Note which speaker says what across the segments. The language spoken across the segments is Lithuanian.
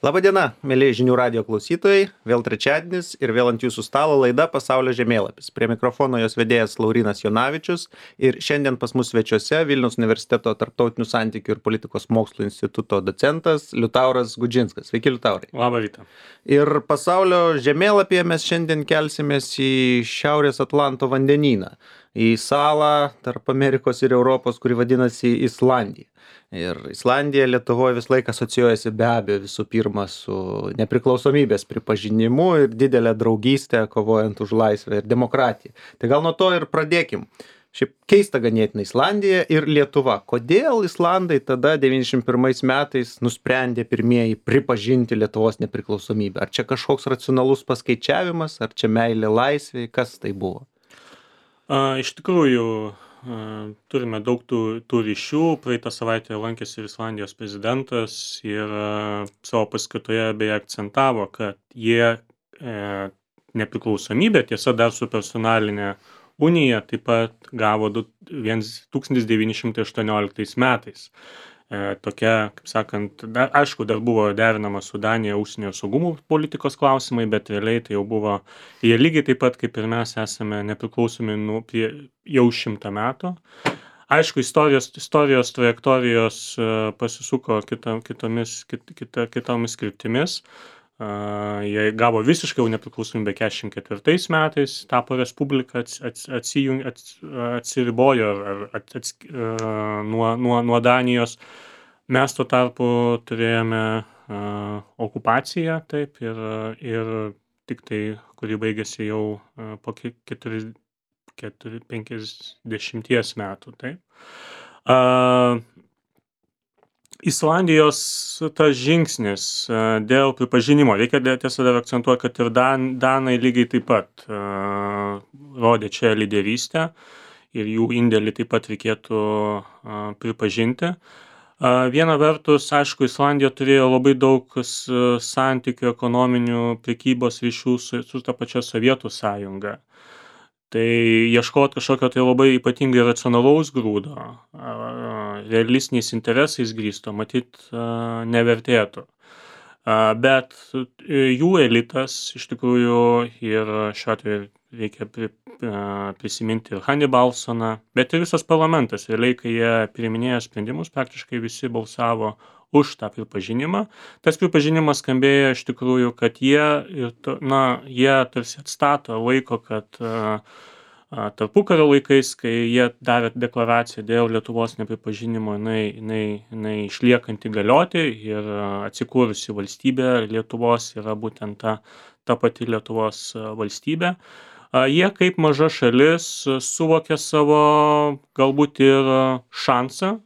Speaker 1: Labadiena, mėly žinių radijo klausytojai, vėl trečiadienis ir vėl ant jūsų stalo laida Pasaulio žemėlapis. Prie mikrofono jos vedėjas Laurynas Jonavičius ir šiandien pas mus svečiuose Vilniaus universiteto tarptautinių santykių ir politikos mokslų instituto docentas Liutauras Gudžinskas. Sveiki, Liutaurai.
Speaker 2: Labą rytą.
Speaker 1: Ir pasaulio žemėlapyje mes šiandien kelsimės į Šiaurės Atlanto vandenyną, į salą tarp Amerikos ir Europos, kuri vadinasi Islandija. Ir Islandija Lietuvoje vis laiką asocijuojasi be abejo visų pirma su nepriklausomybės pripažinimu ir didelę draugystę kovojant už laisvę ir demokratiją. Tai gal nuo to ir pradėkim. Šiaip keista ganėtinai Islandija ir Lietuva. Kodėl Islandai tada 91 metais nusprendė pirmieji pripažinti Lietuvos nepriklausomybę? Ar čia kažkoks racionalus paskaičiavimas, ar čia meilė laisvei, kas tai buvo?
Speaker 2: Iš tikrųjų, turime daug tų ryšių. Praeitą savaitę lankėsi ir Islandijos prezidentas ir savo paskatoje beje akcentavo, kad jie nepriklausomybę, tiesa dar su personalinė unija, taip pat gavo 1918 metais. Tokia, kaip sakant, aišku, dar buvo derinama su Danija užsienio saugumo politikos klausimai, bet realiai tai jau buvo, jie lygiai taip pat kaip ir mes esame nepriklausomi jau 100 metų. Aišku, istorijos trajektorijos pasisuko kitomis kryptimis. Jie gavo visiškai jau nepriklausomybę 44 metais, tapo respublika, atsiribojo nuo Danijos. Mes tuo tarpu turėjome okupaciją, taip, ir tik tai, kuri baigėsi jau po 50 metų, taip. Islandijos tas žingsnis dėl pripažinimo, reikia tiesa dar akcentuoti, kad ir Danai lygiai taip pat rodė čia lyderystę ir jų indėlį taip pat reikėtų pripažinti. Viena vertus, aišku, Islandija turėjo labai daug santykių, ekonominių, prekybos ryšių su ta pačia Sovietų sąjunga. Tai ieškoti kažkokio tai labai ypatingai racionalaus grūdo, realistiniais interesais grįsto, matyt, nevertėtų. Bet jų elitas iš tikrųjų ir šiuo atveju reikia prisiminti ir Hannibalsoną, bet ir visas parlamentas. Realiai, kai jie priiminėjo sprendimus, praktiškai visi balsavo už tą pripažinimą. Tas pripažinimas skambėjo iš tikrųjų, kad jie tarsi atstato laiko, kad tarpukario laikais, kai jie davė deklaraciją dėl Lietuvos nepripažinimo, jinai išliekanti galioti ir atsikūrusi valstybė Lietuvos yra būtent ta pati Lietuvos valstybė. Jie kaip maža šalis suvokė savo galbūt ir šansą,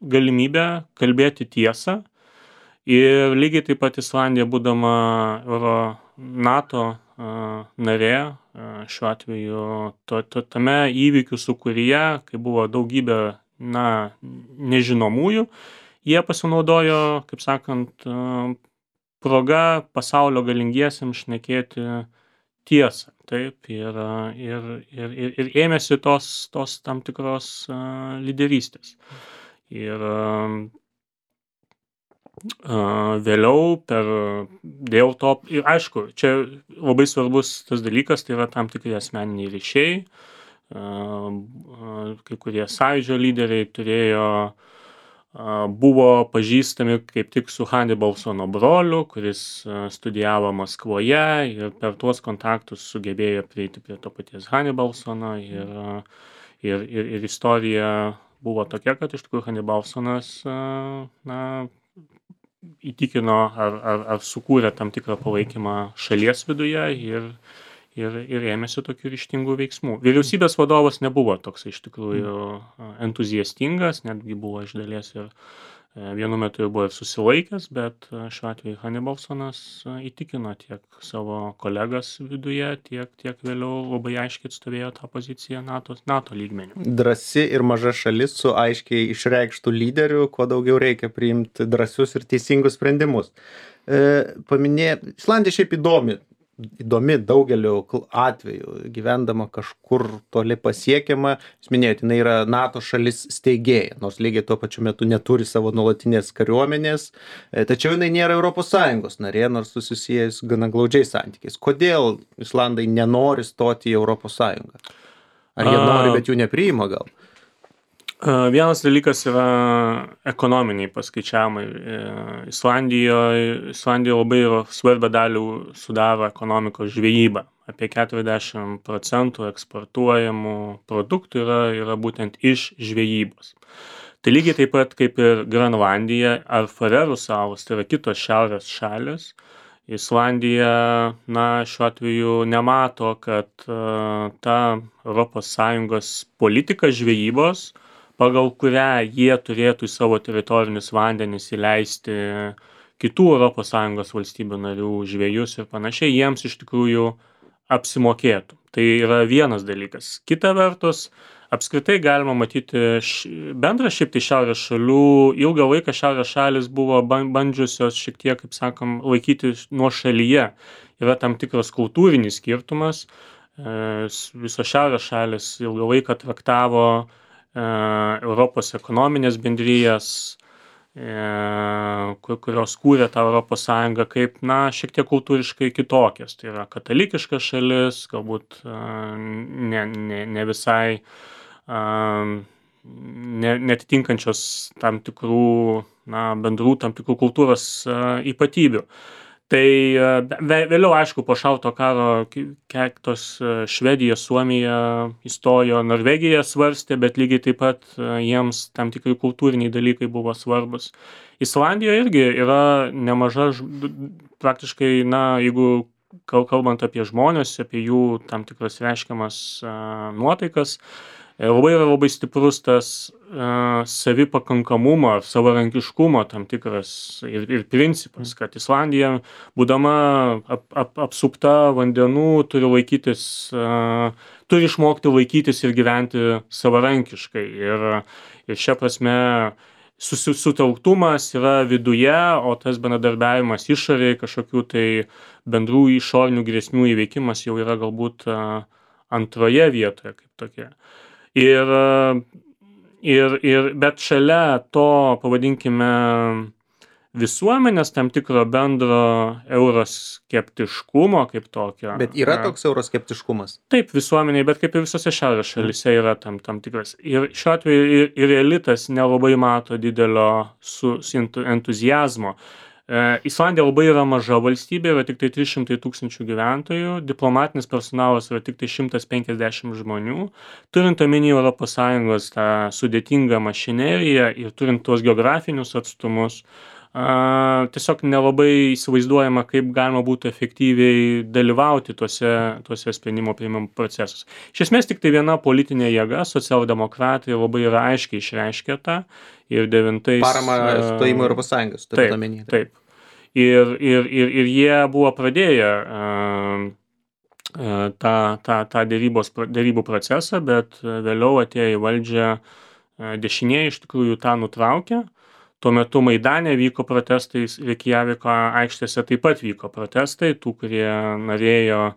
Speaker 2: galimybę kalbėti tiesą. Ir lygiai taip pat Islandija, būdama NATO narė, šiuo atveju tame įvykių sūkuryje, kai buvo daugybė nežinomųjų, jie pasinaudojo, kaip sakant, proga pasaulio galingiesiems šnekėti tiesą, taip, ir ėmėsi tos tam tikros lyderystės. Ir vėliau dėl to, ir aišku, čia labai svarbus tas dalykas, tai yra tam tikri asmeniniai ryšiai. Kai kurie sąjūdžio lyderiai buvo pažįstami kaip tik su Hannibalsono broliu, kuris studijavo Maskvoje ir per tuos kontaktus sugebėjo prieiti prie to paties Hannibalsono ir istorija buvo tokia, kad iš tikrųjų Hannibalsonas įtikino ar sukūrė tam tikrą palaikymą šalies viduje ir ėmėsi tokių ryžtingų veiksmų. Vyriausybės vadovas nebuvo toks iš tikrųjų entuziastingas, netgi buvo iš dalies ir vienu metu buvo ir susilaikęs, bet šiuo atveju Hannibalsonas įtikino tiek savo kolegas viduje, tiek vėliau labai aiškiai atstovėjo tą poziciją NATO lygmeniu.
Speaker 1: Drąsi ir maža šalis su aiškiai išreikštų lyderių, kuo daugiau reikia priimti drąsius ir teisingus sprendimus. Islandija šiaip įdomi įdomi daugeliu atveju, gyvendama kažkur toli pasiekiama. Jūs minėjote, jinai yra NATO šalis steigėja, nors lygiai tuo pačiu metu neturi savo nuolatinės kariuomenės, tačiau jinai nėra ES narė, nors susijęs gana glaudžiais santykiais. Kodėl Islandai nenori stoti į ES? Ar jie nori, bet jų nepriima gal?
Speaker 2: Vienas dalykas yra ekonominiai paskaičiavimai. Islandijoje labai svarbią dalį sudaro ekonomikos žvejyba. Apie 40% eksportuojamų produktų yra būtent iš žvejybos. Tai lygiai taip pat kaip ir Grenlandija ar Farerų salos, tai yra kitos šiaurės šalis. Islandija, šiuo atveju nemato, kad ta ES politika žvejybos, pagal kurią jie turėtų į savo teritorinius vandenis įleisti kitų ES valstybių narių žvejus ir panašiai, jiems iš tikrųjų apsimokėtų. Tai yra vienas dalykas. Kita vertus, apskritai galima matyti bendrą šiaip tai šiaurės šalių, ilgą laiką šiaurės šalis buvo bandžiusios šiek tiek, kaip sakom, laikyti nuo šalyje. Yra tam tikras kultūrinis skirtumas. Visos šiaurės šalis ilgą laiką traktavo Europos ekonominės bendrijas, kurios kūrė tą ES kaip, šiek tiek kultūriškai kitokias. Tai yra katalikiškas šalis, galbūt ne visai netitinkančios tam tikrų, bendrų tam tikrų kultūros ypatybių. Tai vėliau, aišku, po šalto karo tos Švedija, Suomija įstojo, Norvegija svarstė, bet lygiai taip pat jiems tam tikri kultūriniai dalykai buvo svarbus. Islandijoje irgi yra nemaža, praktiškai, jeigu kalbant apie žmonės, apie jų tam tikras reiškiamas nuotaikas, labai stiprus tas savipakankamumo, savarankiškumo tam tikras ir principas, kad Islandija, būdama apsupta vandenų, turi išmokti laikytis ir gyventi savarankiškai. Ir šia prasme sutelktumas yra viduje, o tas bendradarbiavimas išorėje, kažkokių tai bendrų išorinių grėsmių įveikimas jau yra galbūt antroje vietoje kaip tokie. Bet šalia to, pavadinkime, visuomenės tam tikro bendro euroskeptiškumo kaip tokio.
Speaker 1: Bet yra toks euroskeptiškumas?
Speaker 2: Taip, visuomeniai, bet kaip ir visose šiaurės šalyse yra tam tikras. Ir šiuo atveju ir elitas nelabai mato didelio entuziazmo. Islandija labai yra maža valstybė, yra tik tai 300 000 gyventojų, diplomatinis personalas yra tik tai 150 žmonių. Turint omeny ES tą sudėtingą mašineriją ir turint tuos geografinius atstumus, tiesiog nelabai įsivaizduojama, kaip galima būtų efektyviai dalyvauti tuose sprendimo priimimo procesus. Iš esmės tik tai viena politinė jėga, socialdemokratai, labai yra aiškiai išreiškė tą. Ir 9...
Speaker 1: Parama stojimo Europos Sąjungos, turint omeny.
Speaker 2: Taip. Ir jie buvo pradėję tą derybų procesą, bet vėliau atėjo į valdžią dešinieji, iš tikrųjų tą nutraukė. Tuo metu Maidane vyko protestai, Reikjaviko aikštėse taip pat vyko protestai, tų, kurie norėjo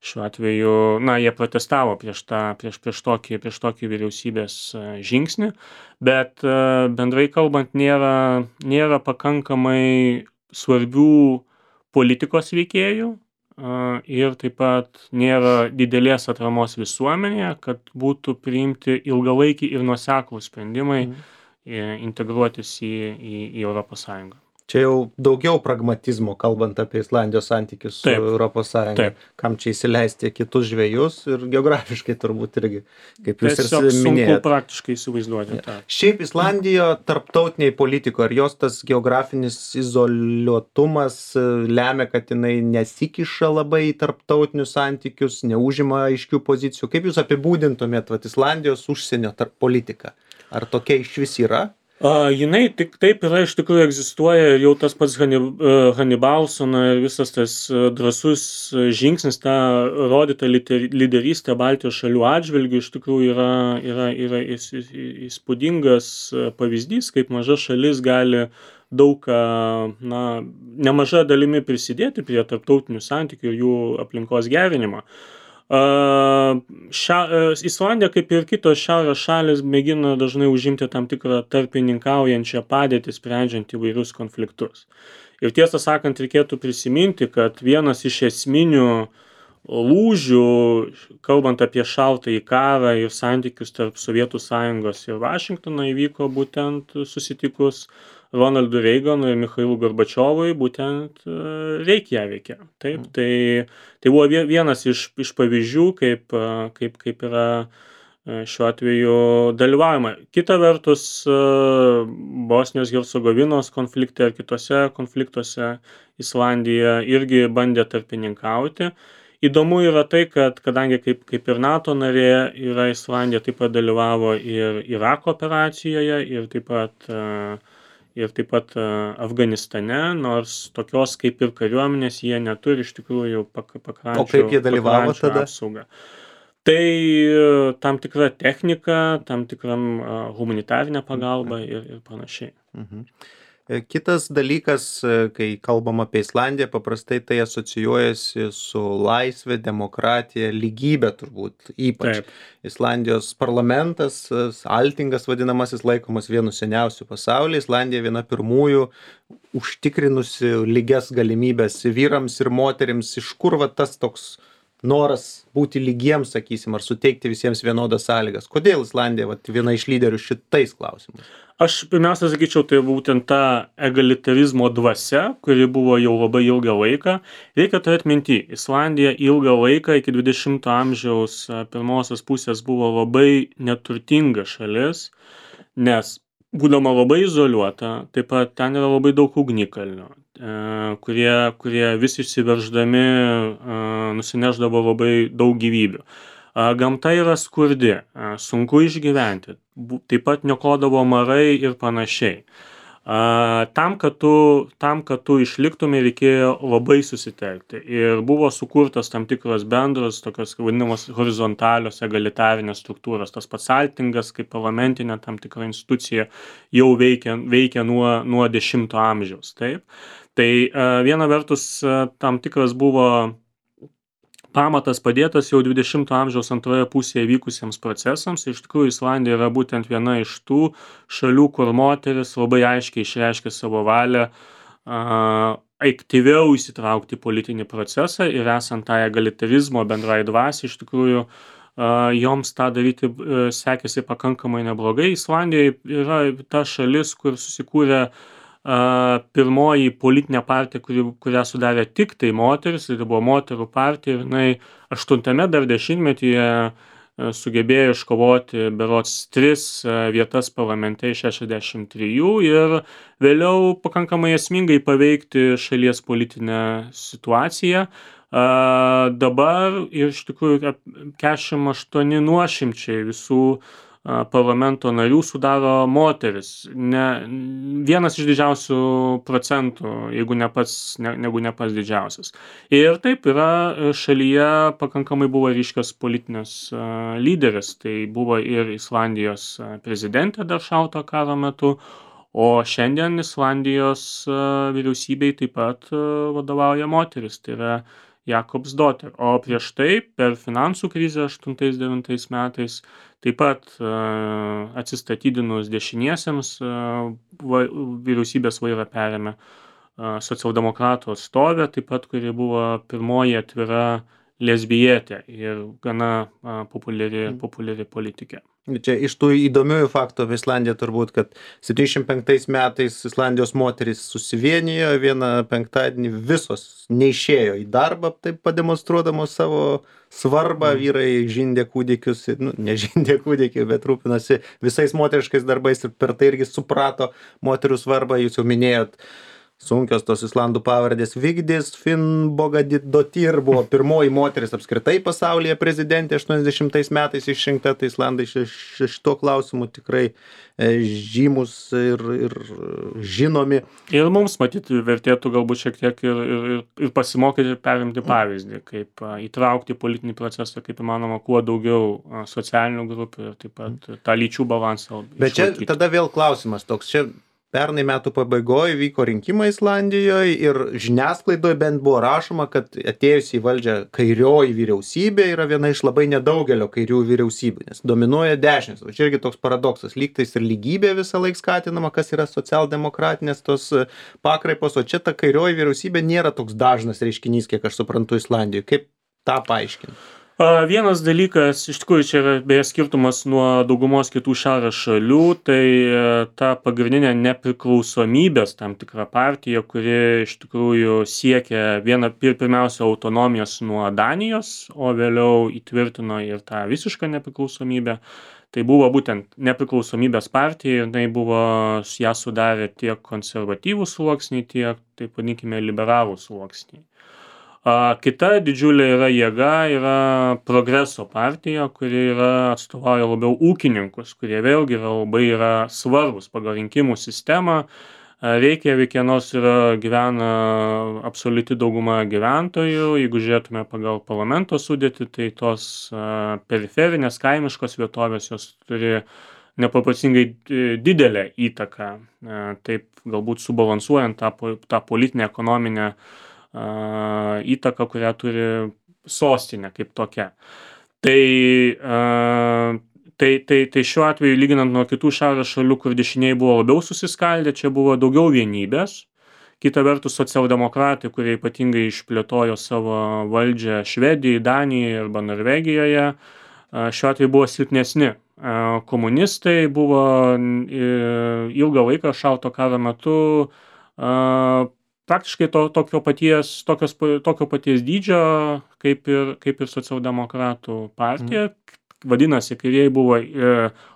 Speaker 2: šiuo atveju, jie protestavo prieš tokį vyriausybės žingsnį, bet bendrai kalbant nėra pakankamai svarbių politikos veikėjų ir taip pat nėra didelės atramos visuomenėje, kad būtų priimti ilgalaikiai ir nuoseklūs sprendimai integruotis į Europos Sąjungą.
Speaker 1: Čia jau daugiau pragmatizmo, kalbant apie Islandijos santykius su Europos Sąjunga. Kam čia įsileisti kitus žvejus ir geografiškai turbūt irgi, kaip jūs ir minėjote.
Speaker 2: Sunku praktiškai įsivaizduoti.
Speaker 1: Šiaip Islandijoje tarptautiniai politikoje, ar jos tas geografinis izoliuotumas lemia, kad jinai nesikiša labai į tarptautinius santykius, neužima aiškių pozicijų? Kaip jūs apibūdintumėt Islandijos užsienio politiką? Ar tokia išvis yra?
Speaker 2: Jinai tik taip yra, iš tikrųjų egzistuoja ir jau tas pats Hannibalsono ir visas tas drąsus žingsnis, ta rodyta lyderystė Baltijos šalių atžvilgių iš tikrųjų yra įspūdingas pavyzdys, kaip maža šalis gali daug, nemaža dalimi prisidėti prie tarptautinių santykių ir jų aplinkos gerinimo. Islandija, kaip ir kitos šiaurės šalis, mėgina dažnai užimti tam tikrą tarpininkaujančią padėtį, sprendžiant įvairius konfliktus. Ir tiesą sakant, reikėtų prisiminti, kad vienas iš esminių lūžių, kalbant apie šaltąjį karą ir santykius tarp Sovietų Sąjungos ir Vašingtono, įvyko būtent susitikus Ronaldui Reiganui ir Michailui Gorbačiovui, būtent Reikjavike. Taip, tai buvo vienas iš pavyzdžių, kaip yra šiuo atveju dalyvaujama. Kita vertus, Bosnijos Hercegovinos konflikte ar kitose konfliktuose Islandija irgi bandė tarpininkauti. Įdomu yra tai, kad kadangi kaip ir NATO narė, yra Islandija taip pat dalyvavo ir Irako operacijoje, ir taip pat Afganistane, nors tokios kaip ir kariuomenės jie neturi iš tikrųjų pakrančių.
Speaker 1: O kaip jie dalyvavo tada?
Speaker 2: Apsaugą. Tai tam tikra technika, tam tikram humanitarinė pagalba ir panašiai.
Speaker 1: Kitas dalykas, kai kalbam apie Islandiją, paprastai tai asocijuojasi su laisvė, demokratija, lygybė turbūt ypač.
Speaker 2: Taip.
Speaker 1: Islandijos parlamentas, Altingas vadinamasis, laikomas vienu seniausių pasaulyje. Islandija viena pirmųjų užtikrinusi lygias galimybės vyrams ir moterims. Iš kur va tas toks noras būti lygiems, sakysim, ar suteikti visiems vienodas sąlygas? Kodėl Islandija viena iš lyderių šitais klausimais?
Speaker 2: Aš pirmiausia sakyčiau, tai būtent ta egalitarizmo dvasia, kuri buvo jau labai ilgą laiką. Reikia turėti minty, Islandija ilgą laiką iki 20 amžiaus pirmosios pusės buvo labai neturtinga šalis, nes būdama labai izoliuota, taip pat ten yra labai daug ugnikalnių, kurie vis išsiverždami nusineždavo labai daug gyvybių. Gamta yra skurdi, sunku išgyventi, taip pat niokodavo marai ir panašiai. Tam, kad tu išliktumai, reikėjo labai susitelkti. Ir buvo sukurtas tam tikros bendros, tokios vadinamos horizontalios egalitarinės struktūros. Tas pats Altingas, kaip parlamentinė tam tikra institucija, jau veikia nuo 10 amžiaus. Taip? Tai viena vertus tam tikras buvo pamatas padėtas jau 20 amžiaus antroje pusėje vykusiems procesams. Iš tikrųjų, Islandija yra būtent viena iš tų šalių, kur moteris labai aiškiai išreiškė savo valią aktyviau įsitraukti į politinį procesą ir esant tą egalitarizmo bendrai dvasiai, iš tikrųjų joms tą daryti sekėsi pakankamai neblogai. Islandija yra ta šalis, kur susikūrė pirmoji politinė partija, kurią sudarė tik tai moteris, tai buvo moterų partija, ir jinai 8 dar dešimtmetyje sugebėjo iškovoti berods 3 vietas parlamente iš 63 ir vėliau pakankamai esmingai paveikti šalies politinę situaciją. Dabar iš tikrųjų 48 nuošimčiai visų parlamento narių sudaro moteris. Vienas iš didžiausių procentų, jeigu ne pats didžiausias. Ir taip yra šalyje pakankamai buvo ryškios politinės lyderis. Tai buvo ir Islandijos prezidentė dar šaltojo karo metu, o šiandien Islandijos vyriausybei taip pat vadovauja moteris. Tai yra Jakobsdottir. O prieš tai per finansų krizę 8-9 metais taip pat atsistatydinus dešiniesiems vyriausybės vairą perėmė socialdemokratų atstovė, taip pat kuri buvo pirmoji atvira lesbietė ir gana populiari politikė.
Speaker 1: Čia iš tų įdomiųjų faktų apie Islandiją turbūt, kad 75 metais Islandijos moterys susivienijo, vieną penktadienį visos neišėjo į darbą, taip pademonstruodamos savo svarbą, vyrai žindė kūdikius, nežindė kūdikių, bet rūpinosi visais moteriškais darbais ir per tai irgi suprato moterų svarbą. Jūs jau minėjot, sunkios tos islandų pavardės. Vigdis Finnbogadóttir buvo pirmoji moteris apskritai pasaulyje prezidentė, 80 metais išrinkta, tai islandai šituo klausimu tikrai žymus ir žinomi.
Speaker 2: Ir mums matyti vertėtų galbūt šiek tiek ir pasimokyti ir perimti pavyzdį, kaip įtraukti politinį procesą, kaip įmanoma, kuo daugiau socialinių grupių ir taip pat tą lyčių balansą.
Speaker 1: Bet čia tada vėl klausimas toks, čia pernai metų pabaigoje vyko rinkimai Islandijoje ir žiniasklaidoje bent buvo rašoma, kad atėjusi į valdžią kairioji vyriausybė yra viena iš labai nedaugelio kairių vyriausybių, nes dominuoja dešinės. O čia irgi toks paradoksas, lygtais ir lygybė visą laiką skatinama, kas yra socialdemokratinės tos pakraipos, o čia ta kairioji vyriausybė nėra toks dažnas reiškinys, kiek aš suprantu Islandijoje. Kaip tą paaiškinti?
Speaker 2: Vienas dalykas, iš tikrųjų, čia yra beje skirtumas nuo daugumos kitų šiaurės šalių, tai ta pagrindinė nepriklausomybės tam tikra partija, kuri iš tikrųjų siekia pirmiausia autonomijos nuo Danijos, o vėliau įtvirtino ir tą visišką nepriklausomybę. Tai buvo būtent nepriklausomybės partija ir tai buvo, ją sudarė tiek konservatyvų sluoksniai, tiek, taip vadinkime, liberalų sluoksniai. Kita didžiulė yra Progreso partija, kuri atstovauja labiau ūkininkus, kurie vėlgi yra svarbus pagal rinkimų sistemą. Reikjavike nors gyvena absoliuti dauguma gyventojų, jeigu žiūrėtume pagal parlamento sudėtį, tai tos periferinės kaimiškos vietovės jos turi nepaprasingai didelę įtaką, taip galbūt subalansuojant tą politinę ekonominę įtaką, kurią turi sostinė kaip tokia. Tai šiuo atveju, lyginant nuo kitų šiaurės šalių, kur dešiniai buvo labiau susiskaldę, čia buvo daugiau vienybės. Kita vertus, socialdemokratai, kurie ypatingai išplėtojo savo valdžią Švedijoje, Danijoje arba Norvegijoje, šiuo atveju buvo silpnesni. Komunistai buvo ilgą laiką šalto karo metu praktiškai tokio paties dydžio kaip ir socialdemokratų partija. Vadinasi, kairieji buvo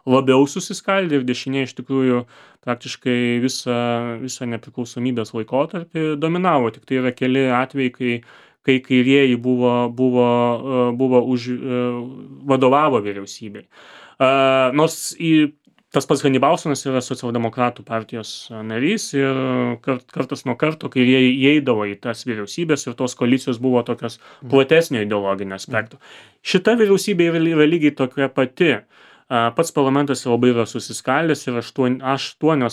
Speaker 2: labiau susiskaldę ir dešiniai iš tikrųjų praktiškai visą nepriklausomybės laikotarpį dominavo. Tik tai yra keli atvejai, kai kairieji vadovavo vyriausybei. Nors tas pats Hanibalsonas yra socialdemokratų partijos narys ir kartas nuo karto, kai jie įeidavo į tas vyriausybės ir tos koalicijos buvo tokios platesnio ideologinio aspekto. Šita vyriausybė yra lygiai tokia pati. Pats parlamentas labai yra susiskaldęs ir 8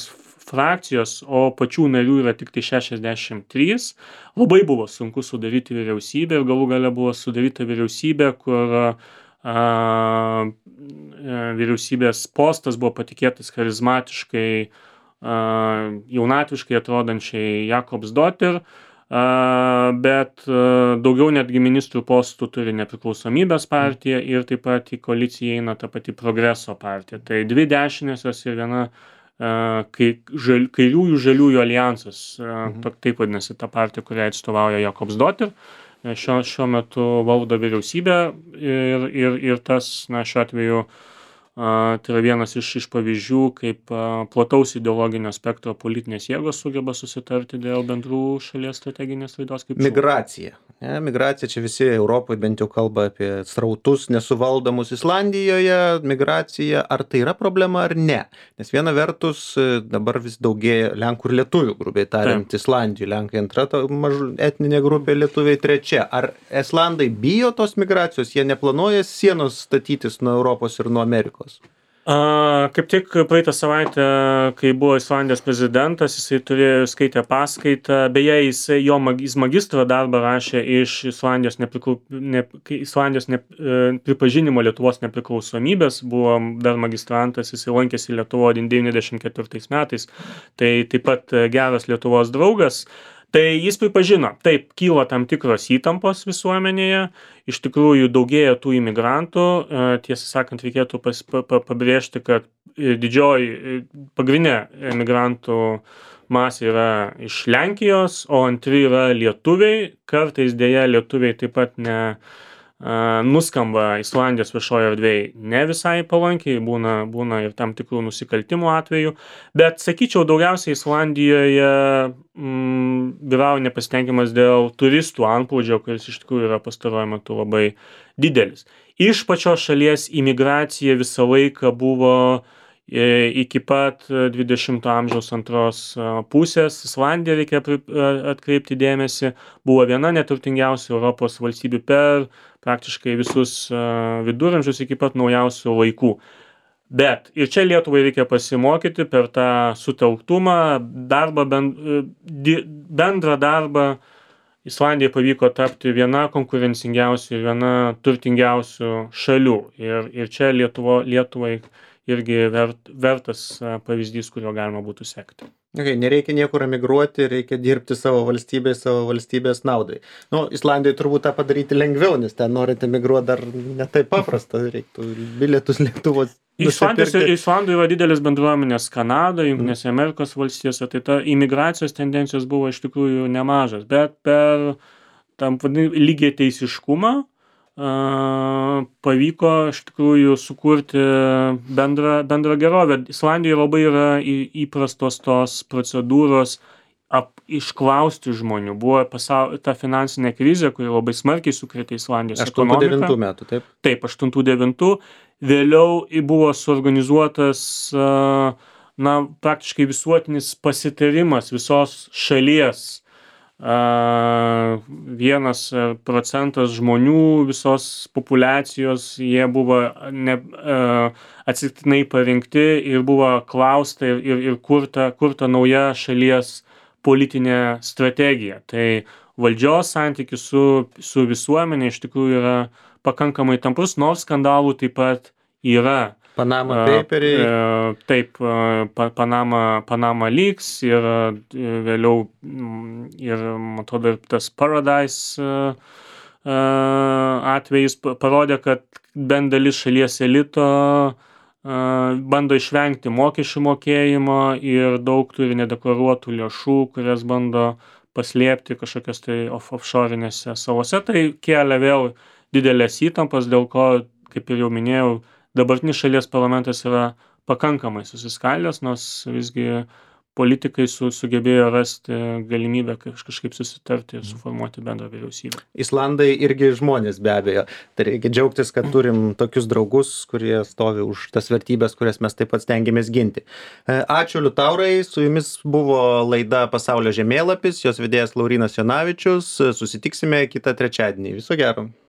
Speaker 2: frakcijos, o pačių narių yra tik tai 63. Labai buvo sunku sudaryti vyriausybę ir galų gale buvo sudaryta vyriausybė, kur vyriausybės postas buvo patikėtas charizmatiškai, jaunatviškai atrodančiai Jakobsdottir, bet daugiau netgi ministrų postų turi nepriklausomybės partija ir taip pat į koaliciją eina ta pati Progreso partija. Tai dvi dešinėsios ir viena kairiųjų žaliųjų aljansas, taip vadinasi ta partija, kurią atstovauja Jakobsdottir. Šiuo metu valdo vyriausybę ir tas, šiuo atveju, tai yra vienas iš pavyzdžių, kaip plataus ideologinio spektro politinės jėgos sugeba susitarti dėl bendrų šalies strateginės raidos krypčių.
Speaker 1: Migracija. Migracija, čia visi Europoje bent jau kalba apie srautus nesuvaldomus. Islandijoje migracija, ar tai yra problema ar ne? Nes viena vertus dabar vis daugėja Lenkų ir Lietuvių, grubiai tariant, Islandijoje. Lenkai antra etninė grupė, Lietuviai trečia. Ar islandai bijo tos migracijos? Jie neplanuoja sienos statytis nuo Europos ir nuo Amerikos?
Speaker 2: Kaip tik praeitą savaitę, kai buvo Islandijos prezidentas, jisai skaitė paskaitą, beje, jis magistro darbą rašė iš Islandijos pripažinimo Lietuvos nepriklausomybės, buvo dar magistrantas, jisai lankėsi Lietuvoje 94 metais, tai taip pat geras Lietuvos draugas. Tai jis pripažino, taip, kyla tam tikros įtampos visuomenėje, iš tikrųjų daugėja tų imigrantų, tiesą sakant, reikėtų pabrėžti, kad pagrindinė imigrantų masė yra iš Lenkijos, o antri yra lietuviai, kartais dėja lietuviai taip pat nuskamba Islandijos viešoje erdvėje ne visai palankiai, būna ir tam tikrų nusikaltimų atvejų, bet sakyčiau, daugiausiai Islandijoje vyrauja nepasitenkimas dėl turistų antplūdžio, kuris iš tikrųjų yra pastaruoju metu labai didelis. Iš pačios šalies imigracija visą laiką buvo iki pat 20 amžiaus antros pusės. Islandija, reikia atkreipti dėmesį, buvo viena neturtingiausių Europos valstybių per praktiškai visus viduramžius iki pat naujausių laikų. Bet ir čia Lietuvai reikia pasimokyti per tą sutelktumą, darbą, bendrą darbą. Islandijai pavyko tapti viena konkurencingiausių ir viena turtingiausių šalių. Ir čia Lietuvai irgi vertas pavyzdys, kurio galima būtų sekti.
Speaker 1: Okay, nereikia niekur emigruoti, reikia dirbti savo valstybės naudai. Nu, Islandijai turbūt tą padaryti lengviau, nes ten norint emigruoti dar ne taip paprasta, reiktų bilietus lėktuvos.
Speaker 2: Islandų yra didelis bendruomenės Kanadoje, Jungtinėse Amerikos valstijose, tai ta imigracijos tendencijos buvo iš tikrųjų nemažas, bet per tam lygiateisiškumą pavyko iš tikrųjų sukurti bendrą gerovę. Islandijoje labai yra įprastos tos procedūros išklausti žmonių. Buvo ta finansinė krizė, kuri labai smarkiai sukrėtė Islandijos ekonomiką.
Speaker 1: 8-9 metų, taip?
Speaker 2: Taip, 8-9. Vėliau buvo suorganizuotas praktiškai visuotinis pasitarimas visos šalies. 1% žmonių visos populiacijos, jie buvo atsitiktinai parinkti ir buvo klausta ir kurta nauja šalies politinė strategija. Tai valdžios santykis su visuomenė iš tikrųjų yra pakankamai tamprus, nors skandalų taip pat yra.
Speaker 1: Panama paperiai.
Speaker 2: Taip, Panama Leaks ir vėliau ir, man atrodo, tas Paradise atvejis parodė, kad bent dalis šalies elito bando išvengti mokesčių mokėjimo ir daug turi nedeklaruotų lėšų, kurias bando paslėpti kažkokias tai offshore'inėse salose. Tai kelia vėl didelės įtampas, dėl ko, kaip ir jau minėjau, dabartinis šalies parlamentas yra pakankamai susiskaldęs, nors visgi politikai sugebėjo rasti galimybę kažkaip susitarti ir suformuoti bendrą vyriausybę.
Speaker 1: Islandai irgi žmonės be abejo. Tai reikia džiaugtis, kad turim tokius draugus, kurie stovi už tas vertybės, kurias mes taip pat stengiamės ginti. Ačiū, Liutaurai. Su jumis buvo laida Pasaulio žemėlapis, jos vedėjas Laurynas Jonavičius. Susitiksime kitą trečiadienį. Viso gero.